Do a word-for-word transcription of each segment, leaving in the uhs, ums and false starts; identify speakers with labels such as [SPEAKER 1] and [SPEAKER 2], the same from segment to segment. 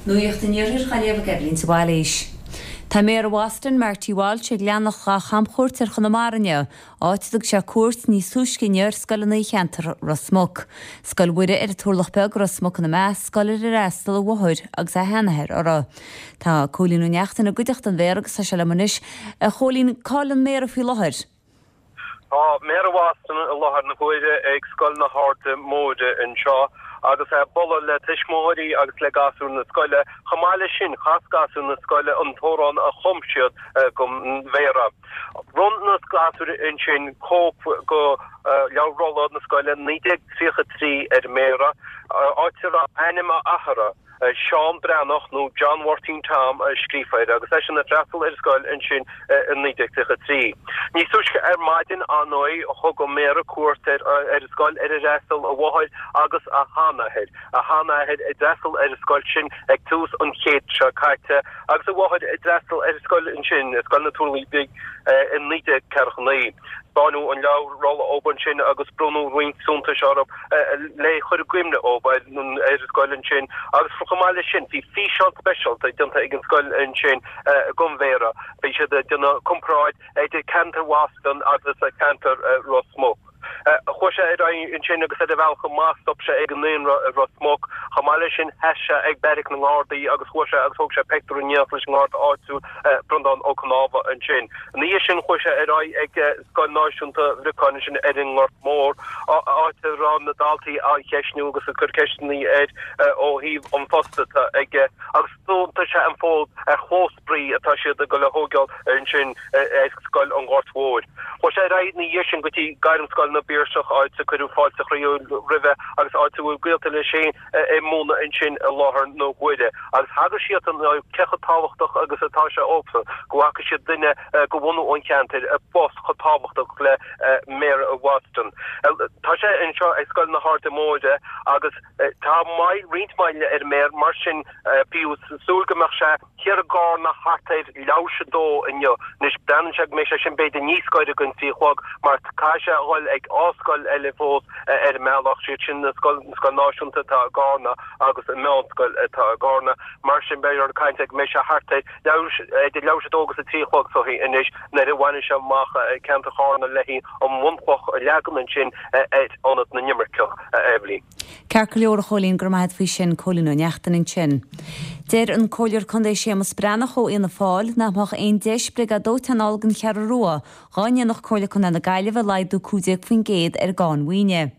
[SPEAKER 1] Nuacht an Iarthair á léamh ag Eibhlín de Bhailís. Tá Méara Bhoston Marty Walsh ag leanacht dá chamchuairt ar Chonamara inniu, áit a dtug sé cuairt níos túisce inniu ar scoileanna i cheantar Ros Muc. Scoil Mhuire ar an Turlach Beag Ros Muc ina measc, scoil ar ar fhreastail a mháthair agus a sheanathair uirthi. Tá Cóilín Ó Neachtain i gcuideachta an Mhéara agus tá sé liom anois. A Chóilín, cá bhfuil an Méara faoi láthair.
[SPEAKER 2] Tá Méara Bhoston i láthair na huaire ag Scoil na hAirde Móire anseo agus é ag bualadh le tuismitheoirí agus le gasúir na scoile. Chomh maith leis sin, chas gasúir na scoile an t-amhrán a chum siad don Mhéara. Bhronn na gasúir ansin cóip de leabhar rolla na scoile naoi déag tríocha trí ar an Méara, áit a raibh ainm a athara, Seán Breathnach nó John Mháirtín Tom scríofa air agus eisean ag freastal ar an scoil ansin i naoi déag tríocha trí. Níos túisce ar maidin ar ndóigh thug an Méara cuairt ar an scoil ar ar fhreastail a mháthair agus a sheanathair, a sheanathair a d'fhreastail ar an scoil sin ag tús an chéid seo caite agus a mháthair a d'fhreastail ar an scoil ansin, Scoil na Turlaí Bige, i naoi déag ceathracha naoi. Taispeánadh an leabhar rolla dhób ansin agus bronnadh roinnt suntais orthu le cur i gcuimhne dhób ar an scoil ansin agus chomh maith leis sin bhí físeán speisialta déanta ag an scoil ansin don Mhéara. Bhí siad ag déanamh comparáid idir ceantar Bhoston agus ceantar Ros Muc. Chuaigh sé ar aghaidh ansin agus ar a bhealach amach stop sé ag an naíonra i Ros Muc. Chomh maith leis sin sheas sé ag beairic na nGardaí agus chuaigh sé agus thóg sé pictiúr in éineacht leis an nGarda áitiúil Breandán Ó Cnámha ansin. Ina dhiaidh sin chuaigh sé ar aghaidh ag Scoil Náisiúnta Bhriocáin ansin ar an nGort Mór, áit a raibh na daltaí á cheistniú agus ag cur ceisteanna air ó thaobh an phost atá aige agus d'fhiontaigh sé an fód ar chlós spraoi atá siad ag dul a thógáil ansin ar Scoil an Ghoirt Mhóir. Chuaigh sé ar aghaidh ina dhiaidh sin go dtí Gairmscoil na bPiarsach, áit a cuireadh fáilte chroíúil roimhe agus áit a bhfuil gaolta leis féin ag múineadh ansin i láthair na huaire. Agus thagair siadsan do cé chomh tábhachtach agus atá sé dhóibhsean go bhfaca siad duine de bhunadh an cheantair i bpost chomh tábhachtach le Méara Bhoston. Tá sé anseo ag Scoil na hAirde Móire agus tá moill, roinnt moille ar an Méara, mar sin bhíothas ag súil go mbeadh sé thiar i gCarna thart ar leathuair tar éis a dó inniu. Anois breathnaíonn sé go mbeidh sé sin b'fhéidir níos gaire don trí a chlog mar caithfidh sé a dhul ag dhá scoil eile fós ar an mbealach, siad sin na scoil, an scoil náisiúnta atá i gCarna agus an meánscoil atá i gCarna. Mar sin beidh ag caint go mbeidh sé thart ar leathuair, idir leathuair tar éis a dó agus a trí a chlog is dóichí anois nuair a bhainfidh sé amach ceantar Charna le an bhunchloch a leagan ansin ar Ionad na nImirceach, a Eibhlín.
[SPEAKER 1] Ceart go leor a Chóilín, go raibh maith agat faoi sin, Cóilín Ó Neachtain ansin. Deir an Comhairleoir Contae Séamus Breathnach ó Fhianna Fáil nach mbeadh aon deis briogáid dóiteáin a fháil don Cheathrú Rua dhá ndéanfadh Comhairle Contae na Gaillimhe laghdú cúig déag faoin gcéad ar an gcáin mhaoine.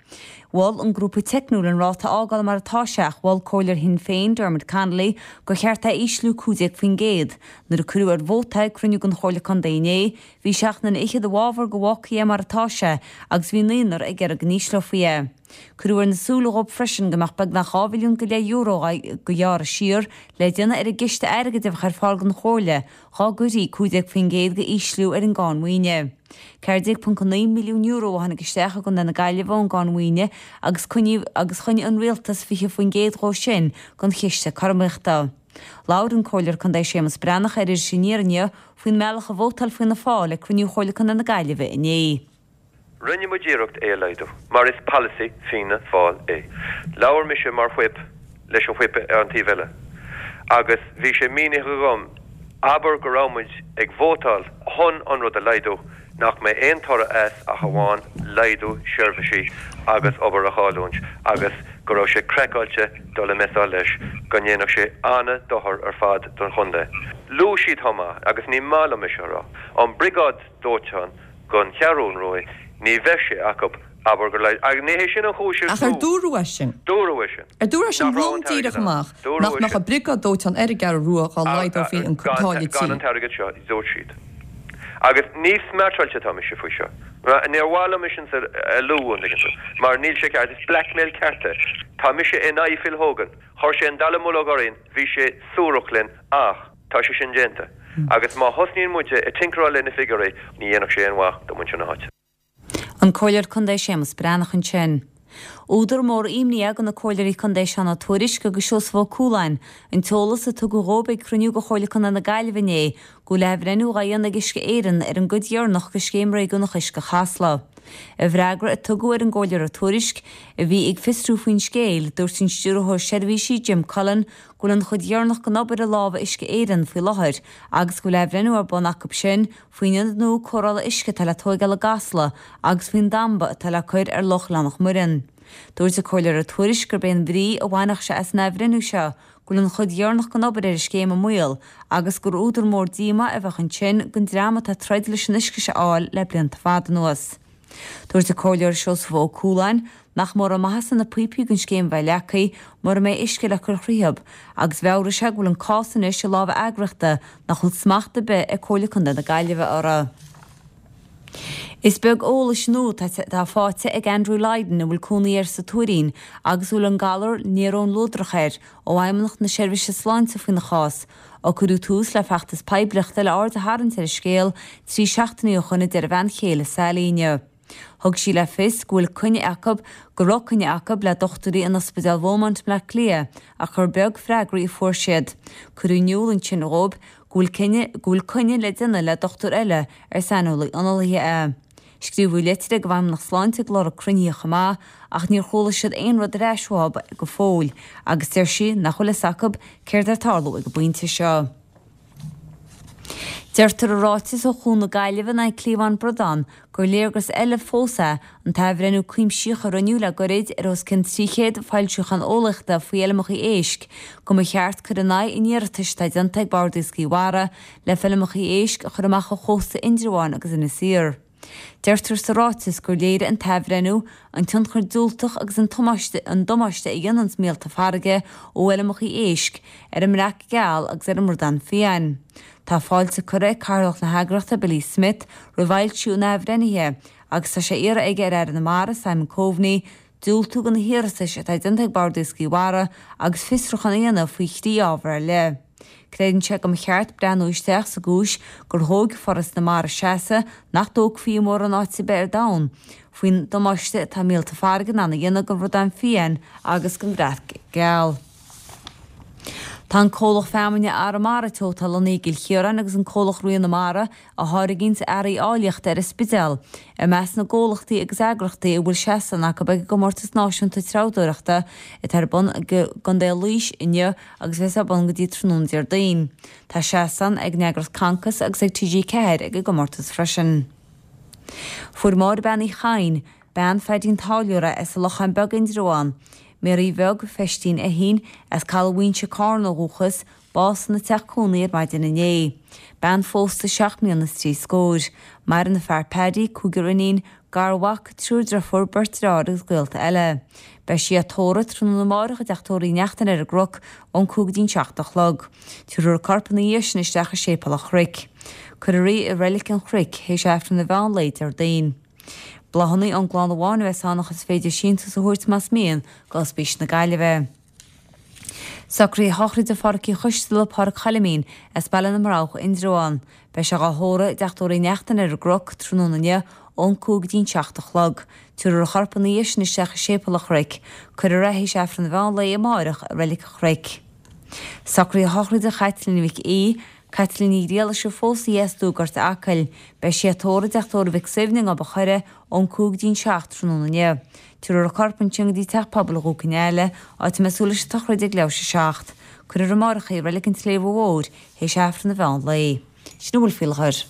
[SPEAKER 1] Mhol an grúpa teicniúil an ráta a fhágáil mar atá sé ach mhol Comhairleoir Shinn Féin, Dermot Connolly, gur cheart é a ísliú cúig déag faoin gcéad. Nuair a cuireadh ar vóta é ag cruinniú den Chomhairle Contae inné, bhí seacht nduine fhichead i bhfabhar go bhfágfaí é mar atá sé agus bhí naonúr ag iarraidh go n-ísleofaí é. Cuireadh ar na súile dhóibh freisin go mbeadh beagnach dhá mhilliún go leith euro go ghearradh siar le déanamh ar an gciste airgid a bheadh ar fáil don Chomhairle dhá gcuirfí cúig déag faoin gcéad de ísliú ar an gcáin mhaoine. ceathair déag ponc naoi milliún euro a tháinig isteach i gContae na Gaillimhe ón gcáin mhaoine agus coinníodh agus choinnigh an Rialtas fiche faoin gcéad dhó sin don chiste cothromaíochta. Labhair an Comhairleoir Contae Séamus Breathnach ar Iris Aniar inniu faoin mbealach a vótáil Fianna Fáil ag cruinniú Chomhairle Contae na Gaillimhe inné.
[SPEAKER 3] Rinne muid iarracht é a laghdú, mar is polasaí Fianna Fáil é. Labhair mise mar whip leis an whip ar an taobh eile agus bhí sé mínithe agam, abair go raibh muid ag vótáil chun an rud a laghdú, nach mbeidh aon toradh as ach amháin laghdú seirbhísí agus obair a chailliúint agus go raibh sé craiceáilte dul ag messáil leis, go ndéanfadh sé an-dochar ar fad don chontae. Luaigh siad chomh maith, agus ní maith liom é seo a rá, an briogáid dóiteáin don Cheathrún Rua, ní bheadh sé acu, abair gur le, agus ní hé sin an chúis
[SPEAKER 4] ar Ach ar dúradh é sin?
[SPEAKER 3] Dúradh é sin.
[SPEAKER 4] Ar dúradh é sin lom díreach amach nach mbeadh an briogáid dóiteáin ar an gCeathrú Rua dhá laghdófaí an táille tí?
[SPEAKER 3] Gan an t-airgead seo, dúirt siad. Agus ní smeartáilte atá mise faoi seo. Níor mhaith liom é sin a lua, an dtuigeann tú, mar níl sé ceart, is blackmail ceart é. Tá mise in aghaidh Phil Hogan. Chuir sé an dallamullóg orainn, bhí sé suarach linn ach. Tá sé sin déanta. Agus má thosnaíonn muide ag tinkeráil le na figiúirí, ní dhéanfadh sé aon mhaith do mhuintir na háite.
[SPEAKER 1] An Comhairleoir Contae Séamus Breathnach ansin. Údar mór imní é do na Comhairleoirí Contae Seán Ó Tuairisg agus Seosamh Ó Cualáin an t-eolas a tugadh dhóibh ag cruinniú de Chomhairle Contae na Gaillimhe inné go bhfuil athbhreithniú dhá dhéanamh ag Uisce Éireann ar an gcuid dheireanach de Scéim Réigiúnach Uisce Chasla. I bhfreagra a tugadh ar an gComhairleoir Ó Tuairisg, a bhí ag fiosrú faoin scéal, dúirt an Stiúrthóir Seirbhísí Jim Cullen go bhfuil an chuid dheireanach den obair i lámha Uisce Éireann faoi láthair agus go bhfuil athbhreithniú ar bun acu sin faoin ionad nua cóireála uisce atá le tóigeáil i gCasla agus faoin damba atá le cur ar Loch Oileán Mhuireann. Dúirt an Comhairleoir Ó Tuairisg gurb é an bhrí a bhainfeadh sé as an athbhreithniú seo go bhfuil an chuid dheireanach den obair ar an scéim i mbaol agus gur údar mór díomá a bheadh ansin don dream atá ag troid leis an uisce seo a fháil le blianta fada anuas. Dúirt an Comhairleoir Seosamh Ó Cualáin nach mórán maitheasa na píopaí don scéim bheith leagtha mura mbeidh uisce le cur thríothab agus mheabhraigh sé go bhfuil an cás anois i lámha eagraíochta nach bhfuil smacht ar bith ag Comhairle Contae na Gaillimhe orthu. Is beag eolais nua atá faighte ag Andrew Lydon a bhfuil cónaí air sa Tuairín agus a bhfuil an galar néarón luadrach air ó Fheidhmeannacht na Seirbhíse Sláinte faoina chás ó cuireadh tús le feachtas poiblíochta le aird a tharraingt ar an scéal trí seachtainí ó shoin i dtear a bhean chéile Sally inniu. Thug sí le fios go bhfuil coinne acu go raibh coinne acu le dochtúirí in Ospidéal Beaumont i mBleá Cliath ach gur beag freagraí a fuair siad. Cuireadh in iúl ansin dhóibh go bhfuil cinne go bhfuil coinne le déanamh le dochtúir eile ar saineolaí analaithe é. Scríobhadh litir ag an bhFeidhmeannacht Sláinte ag lorg cruinnithe chomh maith ach níor chuala siad aon rud ar ais uathu go fóill agus deir sí nach bhfuil fhios acu céard atá ag tarlú ag an bpointe seo. Deirtear i ráiteas ó Chuan na Gaillimhe in aghaidh cliabhán bradán gur léargas eile fós é an t-athbhreithniú cuimsitheach a rinneadh le goirid ar os cionn trí chéad foilseachán eolaíochta faoi fheilmeacha éisc go mba cheart cur in aghaidh an iarratais atá déanta ag Bord Iascaigh Mhara le feilmeacha éisc a chur amach ó chósta Indreabháin agus Inis Oírr. Deirtear sa ráiteas gur léirigh an t-athbhreithniú an tionchar diúltach agus an an damáiste a dhéanann míolta farraige ó fheilmeacha éisc ar an mbreac geal agus ar an mbradán fiáin. Tá fáilte curtha ag Cathaoirleach na heagraíochta Billy Smith roimh fhoilsiú an athbhreithnithe agus tá sé iarrtha aige ar Aire na Mara Simon Coveney diúltú do na hiarratais atá déanta ag Bord Iascaigh Mhara agus fiosrúchán a dhéanamh faoi thrí ábhar ar leith. Creideann sé go mba cheart breathnú isteach sa gcúis gur thóg Foras na Mara seasamh nach dtógfaí i mórán áit ar bith ar domhan faoin damáiste atá míolta farraige in ann a dhéanamh don bhradán fiáin agus don bhreac geal. Tá an comhlacht feamainne Arramara Teo atá lonnaithe i gCill Chiaráin agus an comhlacht Rí na Mara a tháirgíonns earraí áilleachta ar an Spidéal i measc na gcomhlachtaí agus eagraíochtaí a bhfuil seastán acu ag an gcomórtas náisiúnta treabhdóireachta atá ar bun i gContae Laois inniu agus bheas ar bun go dtí tráthnóna Déardaoin. Tá seastán ag an eagraíocht Concos agus ag T G ceathair ag an gcomórtas freisin. Fuair Máire Bean Uí Chadhain, bean Phaidín Táilliúra as an Lochán Beag Indreabhán, Mary Bheag Pheistín Fheichín, as Caladh Mhuínse Cárna ó dhúchas, bás ina teach cónaí ar maidin inné. Bean phósta seacht mbliana is trí scór. Maireann a fear Paddy, cúigear iníon, garmhac, triúr deirfiúr, beirt deartháir agus gaolta eile. Beidh sí á tórramh tráthnóna amárach i dteach tórraimh Uí Neachtain ar an gCnoc ón cúig go dtí'n seacht a chlog. Tabharfar a corp ina dhiaidh sin isteach i Séipéal an Chnoic. Cuirfear í i Reilig an Chnoic théis Aifreann an mheán lae Déardaoin. Bláthanna ón gclann amháin a bheas ann ach is féidir síntiús a thabhairt más mian go Ospís na Gaillimhe. Socruithe sochraide Phádhraic Uí Choisteala, Pádraic Choilimín, as Baile na mBroghach, Indreabhán. Beidh sé dhá thórramh i dteach tórraimh Uí Neachtain ar an gCnoc tráthnóna inniu ón cúig go dtí'n seacht a chlog. Tabharfar a chorp ina dhiaidh sin isteach i Séipéal an Chnoic. Cuirfear é théis Aifreann an mheán lae amáireach i Reilig an Chnoic. Socruithe sochraide Chaitlín Mhic Aoidh, Caitlín Ní Ghriallais a phós í as Dúgort Acaill. Beidh sí á tórramh i dteach tórraimh Mhic Suibhne i nGob an Choire ón cúig go dtí'n seacht tráthnóna inniu. Tabharfar a corp ansin go dtí Teach Pobail Dhún Cionnaola, áit a mbeidh súil leis an tsochraid ag leathuair tar éis a seacht. Cuirfear amárach í i Reilig an tSléibhe Mhóir théis Aifreann an mheán lae. Sin a bhfuil faoi láthair.